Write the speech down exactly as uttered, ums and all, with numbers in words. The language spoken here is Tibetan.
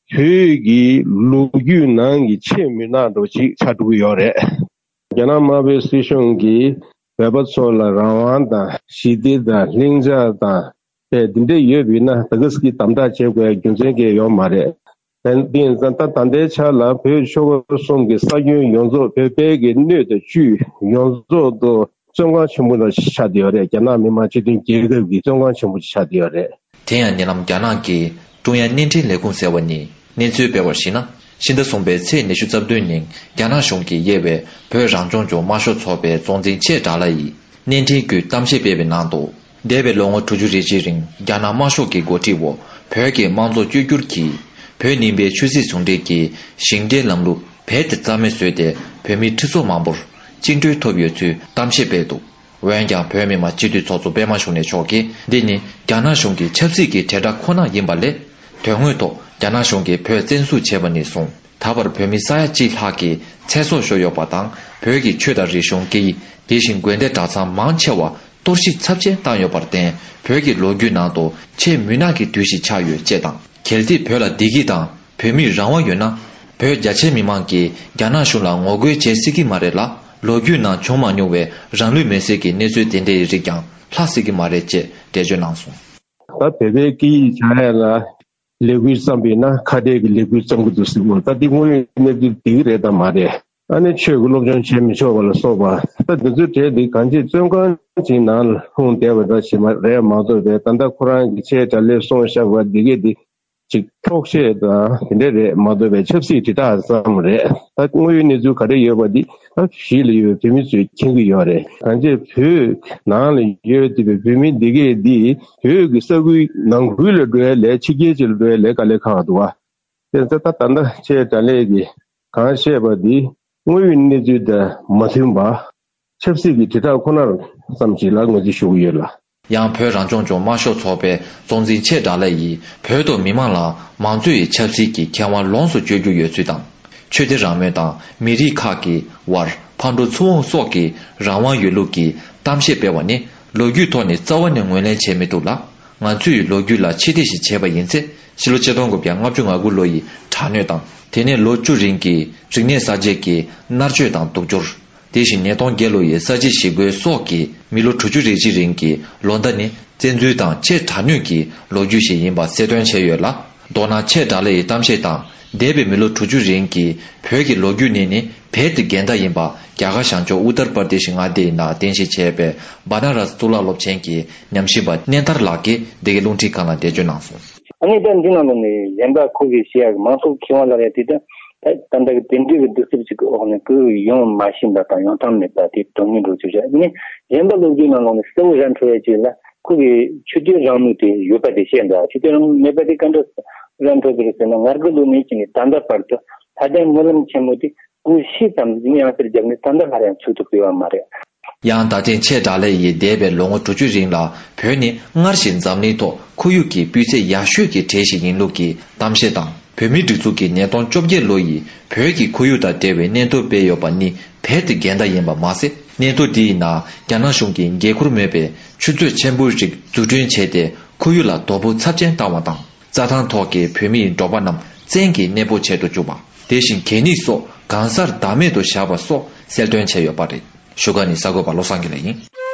བོད་ཀྱི་ལོ་རྒྱུས་ནང་གི་ཆེས་མུན་ནག་འདྲ་བོ་ཅིག་ཆགས་འགྲོ་གི་ཡོད་རེད། རྒྱ་ནག་དམར་པོའི་སྲིད་གཞུང་གིས་བོད་པ་ཚོ་ལ་རང་དབང་དང་ཞི་བདེ་དང་ལྷིང་འཇགས་དང་དེ་འདི་འདྲ་ཡོད་པ་ཡིན་ན་ད་ག་ཟེ་གི་དམ་དྲག་བྱེད་དགོས་རྒྱུ་མཚན་གང་ཡང་ཡོད་མ་རེད། དེ་ཡིན་ཙང་ད་ད་ལྟའི་ཆ་ལ་བོད་ཆོལ་ཁ་གསུམ་གྱི་ས་ཁྱོན་ཡོངས་རྫོགས་བོད་པའི་གི་སྣོད་དང་བཅུད་ཡོངས་རྫོགས་དུ་བཙོན་ཁང་ཆེན་པོ་ལ་ཆགས་བསྡད་ཡོད་རེད། རྒྱ་ནག་མི་དམངས་སྤྱི་མཐུན་རྒྱལ་ཁབ་ཀྱི་བཙོན་ཁང་ཆེན་པོ་ཆགས་བསྡད་ཡོད་རེད། དེ་ཡང་ཉེ་ལམ་རྒྱ་ནག་གི་ཀྲུང་དབྱང་བརྙན་འཕྲིན་ལས་ཁུངས་ཟེར་བ་ནས་གནས་ཚུལ་སྤེལ་བར་གཞིགས་ན། ཕྱི་ཟླ་གསུམ་པའི་ཚེས་ཉི་ཤུ་རྩ་བདུན་ཉིན་རྒྱ་ནག་གཞུང་གིས་དབྱེ་བའི་བོད་རང་སྐྱོང་ལྗོངས་དམར་ཤོག་ཚོགས་པའི་གཙོ་འཛིན་ཆེ་དགྲ་ལྷ་ཡིས་བརྙན་འཕྲིན་བརྒྱུད་གཏམ་བཤད་སྤེལ་བའི་ནང་དུ། འདས་པའི་ལོ་ངོ་དྲུག་ཅུ་རེ་གཅིག་རིང་རྒྱ་ནག་དམར་ཤོག་གི་འགོ་ཁྲིད་འོག་བོད་ཀྱི་དམངས་གཙོ་བཅོས་བསྒྱུར་གྱིས་བོད་རྙིང་པའི་ཆོས་སྲིད་ཟུང་འབྲེལ་གྱི་ཞིང་བྲན་ལམ་ལུགས་རྦད་དེ་རྩ་མེད་བཟོས་ཏེ། བོད་མི་ཁྲི་ཚོ་མང་པོར་བཅིངས་འགྲོལ་ཐོབ་ཡོད་ཚུལ་གཏམ་བཤད་སྤེལ་འདུག་འོན་ཀྱང་བོད་མི་མང་སྤྱི་འཐུས་ཚོགས་གཙོ་པད་མ་ཤུགས་ལྡན་མཆོག་གིས་འདི་ནི་རྒྱ་ནག་གཞུང་གི་ཆབ་སྲིད་ཀྱི་དྲིལ་བསྒྲགས་ཁོ་ན་ཡིན་པ་ལས། དོན་དངོས་ཐོག་རྒྱ་ནག་གཞུང་གིས་བོད་བཙན་བཟུང་བྱས་པ་ནས་བཟུང་ད་བར་བོད་མི་ས་ཡ་གཅིག་ལྷག་གི་ཚེ་སྲོག་ཤོར་ཡོད་པ་དང་། བོད་ཀྱི་ཆོས་དང་རིག་གཞུང་སྐད་ཡིག་དེ་བཞིན་དགོན་སྡེ་གྲྭ་ཚང་མང་ཆེ་བ་གཏོར་བཤིག་ཚབས་ཆེན་བཏང་ཡོད་པར་བརྟེན། བོད་ཀྱི་ལོ་རྒྱུས་ནང་དུ་ཆེས་མུན་ནག་གི་དུས་ཤིག་ཆགས་ཡོད་ཅེས་དང་། གལ་ཏེ་བོད་ལ་བདེ་སྐྱིད་དང་བོད་མིར་རང་དབང་ཡོད་ན། བོད་རྒྱ་ཆེའི་མི་མང་གིས་རྒྱ་ནག་གཞུང་ལ་ངོ་རྒོལ་བྱེད་སྲིད་ཀྱི་མ་རེད་ལ། ལོ་རྒྱུས་ནང་བྱུང་མ་མྱོང་བའི་རང་ལུས་མེར་སྲེག་གི་གནས་ཚུལ་དེ་འདྲའི་རིགས་ཀྱང་ལྷག་སྲིད་ཀྱི་མ་རེད་ཅེས་འགྲེལ་བརྗོད་གནང་སོང་། ད་བོད་པའི་སྐད་ཡིག་སྦྱང་ཡ་ལ་ལས་འགུལ་བརྩམས་པ་ཡིན་ན་ཁ་བྲལ་གྱི་ལས་འགུལ་བརྩམས་ཀྱི་འདུག་ཟེར་གྱི་འདུག་ད་འདི་དངོས་ཡོད་གནས་ཚུལ་འདི་རེད་དམ་མ་རེད། ཨ་ནི་ཆོས་ཀྱི་སློབ་སྦྱོང་བྱེད་མི་ཆོག་པ་ལ་སོགས་པ། ད་འདི་ཚོའི་གྲས་འདི་གང་ཅི་བཙོན་ཁང་ཅིག་ནང་ལ་ལྷུང་བསྡད་པ་འདྲ་ཞིག་མ་རེད་མ་གཏོགས་པའི། ད་ལྟ་ཁོ་རང་གི་ཆེ་དགྲ་ལྷས་གསུངས་བཞག་པ་འདི་གས་འདི་ཅིག་འཁྱོག་བཤད་དང་དེ་འདྲ་རེད་མ་གཏོགས་པའི་ཆབ་སྲིད་དྲིལ་བསྒྲགས་ཙམ་རེད། ད་དངོས་ཡོད་གནས་ཚུལ་ག་རེ་ཡོད་པ་འདི་ད་གཞིས་ལ་ཡོད་པའི་བོད་མི་ཚོས་མཁྱེན་གྱི་ཡོད་རེད། གང་ཅི་བོད་ནང་ལ་ཡོད་བསྡད་པའི་བོད་མི་འདི་གས་འདི་བོད་ཀྱི་ས་ཁུལ་ནང་ཁུལ་ལ་འགྲོ་ཡ་ལས་ཕྱི་རྒྱལ་ཅིག་ལ་འགྲོ་ཡ་ལས་དཀའ་ལས་ཁག་འདུག་བ། དེ་ཚོ་ད་ད་ལྟ་ཆེ་དགྲ་ལྷས་ཀྱིས་གང་བཤད་པ་འདི་དངོས་ཡོད་གནས་ཚུལ་དང་མ་མཐུན་པ། ཆབ་སྲིད་ཀྱི་དྲིལ་བསྒྲགས་ཁོ་ནར་ཙམ་ཞིག་ལ་ངོས་འཛིན་ཞུ་གི་ཡོད་ལ། ཡང་བོད་རང་སྐྱོང་ལྗོངས་དམར་ཤོག་ཚོགས་པའི་གཙོ་འཛིན་ཆེ་དགྲ་ལྷ་ཡིས་བོད་དུ་མི་མང་ལ་མང་གཙོ་ཡི་ཆབ་སྲིད་ཀྱི་ཁེ་དབང་ལོངས་སུ་སྤྱོད་རྒྱུ་ཡོད་ཚུལ་དང་། ཆོས་སྡེ་རང་མོས་དང་མི་རིགས་ཁག་གི་བར་ཕར་འགྲོ་ཚུར་འོང་སོགས་ཀྱི་རང་དབང་ཡོད་ལུགས་ཀྱི་གཏམ་བཤད་སྤེལ་བ་ནི་ལོ་རྒྱུས་ཐོག་ནས་རྩ་བ་ནས་ངོས་ལེན་བྱེད་མི་ཐུབ་ལ། ང་ཚོས་ལོ་རྒྱུས་ལ་ཕྱིར་བལྟས་ཤིག་བྱས་པ་ཡིན་ཚེ། ཕྱི་ལོ་ཆིག་སྟོང་དགུ་བརྒྱ་ལྔ་བཅུ་ང་དགུ་ལོ་ཡི་དྲག་གནོན་དང་། དེ་ནས་ལོ་བཅུ་རིང་གི་རིག་གནས་གསར་བརྗེ་གི་མནར་གཅོད་དང་སྡུག་སྦྱོར། དེ་བཞིན་ཉིས་སྟོང་བརྒྱད་ལོ་ཡི་ས་བྱི་ཞི་རྒོལ་སོགས་ཀྱི་མི་ལོ་དྲུག་ཅུ་རེ་གཅིག་རིང་གི་ལོ་ཟླ་ནི་བཙན་འཛུལ་དང་ཆེས་དྲག་གནོན་གྱི་ལོ་རྒྱུས་ཤིག་ཡིན་པ་གསལ་སྟོན་བྱས་ཡོད་ལ། མདོར་ན་ཆེ་དགྲ་ལྷ་ཡི་གཏམ་བཤད་དང་འདས་པའི་མི་ལོ་དྲུག་ཅུ་རིང་གི་བོད་ཀྱི་ལོ་རྒྱུས་ནི་ནི་རྦད་དེ་འགལ་ཟླ་ཡིན་པ་རྒྱ་གར་བྱང་ཕྱོགས་ཨུ་ཏར་པར་དེ་ཤི་མངའ་སྡེ་ཡི་ནང་རྟེན་གཞི་བྱས་པའི་བ་ན་ར་སི་གཙུག་ལག་སློབ་ཆེན་གྱི་ཉམས་ཞིབ་པ་གནས་དར་ལགས་ཀྱིས་འདི་གའི་རླུང་འཕྲིན་ཁང་ལ་འགྲེལ་བརྗོད་གནང་སོང་། ཨ་ནི་ད་འདི་ནང་ལོགས་ནས་གཞན་པ་ཁོ་གིས་བཤད་ཡག་གི་མང་ཚོགས་ཀྱི་ཁེ་དབང་ལབ་ཡག་དེ་ད་ད་ལྟ་གི་དེ་འདྲའི་གི་གདུག་རྩུབ་ཅིག་གི་འོག་ནས་ཁོས་ཡོང་མ་ཤེས་པ་དང་ཡོང་ཐབས་མེད་པ་དེ་དོན་སྙིང་འགྲོ་ཆོག་བྱ། ཨ་ནི་གཞན་པ་ལོ་རྒྱུས་ནང་ལོགས་ནས་གསལ་བོ་ར་འཕྲོད་ཡག་ཅིག་ལ་ཁོ་གི་ཆོས་དད་རང་མོས་དེ་ཡོད་པ་དེ་བཤད་འདུག་ཆོས་དད་རང་མོས་མེད་པ་དེ་ག་འདྲ་ར་འཕྲོད་ཀྱི་རེད་ཟེར་ན། ང་དགུ་ལོ་ནས་ཅིག་ནས་ད་ལྟ་བར་དུ་ལྷ་ལྡན་སྨོན་ལམ་ཆེན་མོ་དེ་སྒོ་ཕྱེ་ཙམ་ཡང་ཡང་སེར་བརྒྱབ་ནས་ད་ལྟ་སླར་ཡང་ཚུགས་ཐུབ་ཀྱི་ཡོད་མ་རེད། ཡང་ད་ཐེངས་ཆེ་དགྲ་ལྷ་ཡིས་འདས་པའི་ལོ་ངོ་དྲུག་ཅུ་རིང་ལ་བོད་ནི་སྔར་བཞིན་འཛམ་གླིང་ཐོག་ཁོར་ཡུག་གི་སྤུས་ཚད་ཡག་ཤོས་ཀྱི་གྲས་ཤིག་ཡིན་ལུགས་ཀྱི་གཏམ་བཤད་དང་། བོད་མིའི་སྒྲིག་འཛུགས་ཀྱིས་ཉིས་སྟོང་བཅོ་བརྒྱད་ལོ་ཡི་བོད་ཀྱི་ཁོར་ཡུག་དང་འབྲེལ་བའི་སྙན་ཐོ་སྤེལ་ཡོད་པ་ནི་རྦད་དེ་འགལ་ཟླ་ཡིན་པ་མ་ཟད། སྙན་ཐོ་འདིའི་ནང་རྒྱ་ནག་གཞུང་གིས་འགན་ཁུར་མེད་པའི་ཆུ་ཚོད་ཆེན་པོ་ཞིག་འཛུགས་སྐྲུན་བྱས་ཏེ་ཁོར་ཡུག་ལ་དོ་ཕོག་ཚབས་ཆེན་བཏང་བ་དང་། རྩྭ་ཐང་ཐོག་གི་བོད་མིའི་འབྲོག་པ་རྣམས་བཙན་གྱིས་གནས་སྤོ་བྱེད་དུ་བཅུག་པ། དེ་བཞིན་གད་སྙིགས་སོགས་གང་སར་བདག་མེད་དུ་བཞག་པ་སོགས་གསལ་སྟོན་བྱས་ཡོད་པ་རེད། བཞུགས་སྒར་ནས་གསར་འགོད་པ་བློ་བཟང་དགེ་ལེགས་ཡིན།